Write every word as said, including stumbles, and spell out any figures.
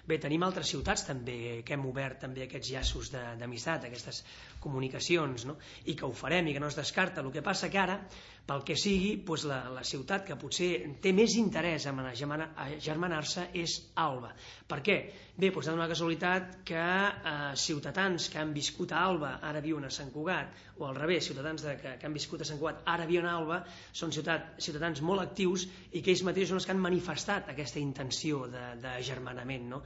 Bé, tenim altres ciutats també que hem obert també aquests llaços d'amistat, aquestes comunicacions, no? I que ho farem i que no es descarta. El que passa que ara, pel que sigui, doncs la, la ciutat que potser té més interès en agermanar-se és Alba. Per què? Bé, doncs ha donat la casualitat que eh, ciutadans que han viscut a Alba ara viuen a Sant Cugat, o al revés, ciutadans de, que, que han viscut a Sant Cugat ara viuen a Alba, són ciutat, ciutadans molt actius i que ells mateixos són els que han manifestat aquesta intenció d'agermanament, no?